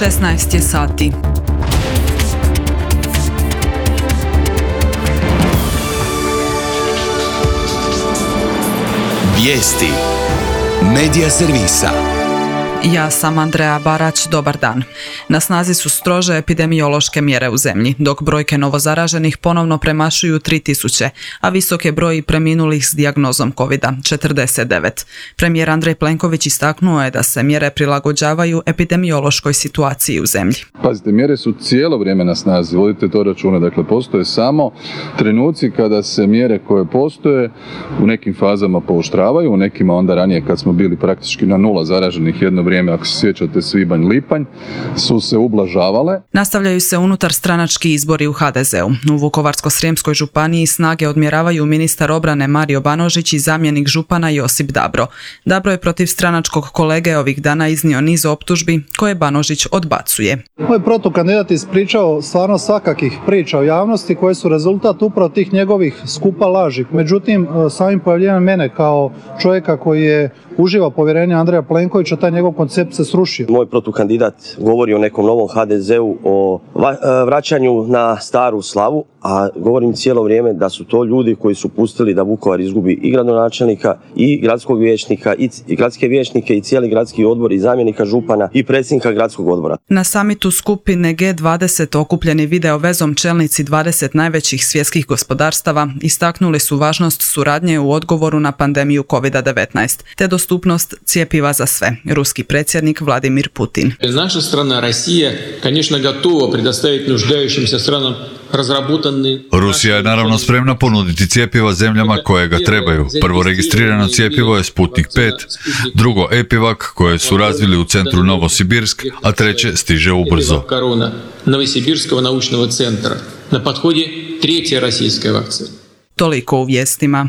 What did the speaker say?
16 je sati. Vijesti Medija servisa. Ja sam Andreja Barać, dobar dan. Na snazi su strože epidemiološke mjere u zemlji, dok brojke novozaraženih ponovno premašuju 3000, a visok je broj preminulih s dijagnozom COVID-49. Premijer Andrej Plenković istaknuo je da se mjere prilagođavaju epidemiološkoj situaciji u zemlji. Pazite, mjere su cijelo vrijeme na snazi, vodite to računa. Dakle, postoje samo trenuci kada se mjere koje postoje u nekim fazama pooštravaju, u nekima onda ranije kad smo bili praktički na 0 zaraženih jedno vrijeme, ako se sjećate, svibanj, lipanj, su se ublažavale. Nastavljaju se unutar stranački izbori u HDZ-u. U Vukovarsko-srijemskoj županiji snage odmjeravaju ministar obrane Mario Banožić i zamjenik župana Josip Dabro. Dabro je protiv stranačkog kolege ovih dana iznio niz optužbi koje Banožić odbacuje. Moj protukandidat ispričao stvarno svakakih priča o javnosti koje su rezultat upravo tih njegovih skupa laži. Međutim, samim pojavljenjem mene kao čovjeka koji je uživa povjerenje Andreja Plenkovića, taj njegov koncept se srušio. Moj protukandidat govori o nekom novom HDZ-u, o vraćanju na staru slavu, a govorim cijelo vrijeme da su to ljudi koji su pustili da Vukovar izgubi i gradonačelnika, i gradskog vijećnika, i gradske vijećnike, i cijeli gradski odbor, i zamjenika župana, i predsjednika gradskog odbora. Na samitu skupine G20 okupljeni video vezom čelnici 20 najvećih svjetskih gospodarstava istaknuli su važnost suradnje u odgovoru na pandemiju COVID-19, te dostupnost cjepiva za sve. Ruski predsjednik Vladimir Putin. Naša strana Rusija, конечно, готова предоставить нуждающимся странам разработанные. Rusija je naravno spremna ponuditi cjepiva zemljama koje ga trebaju. Prvo registrirano cjepivo je Sputnik 5, drugo Epivac koje su razvili u centru Novosibirsk, a treće stiže ubrzo. Novosibirskog naučnog centra. Na podhodi treća rusijska vakcina. Toliko u vijestima.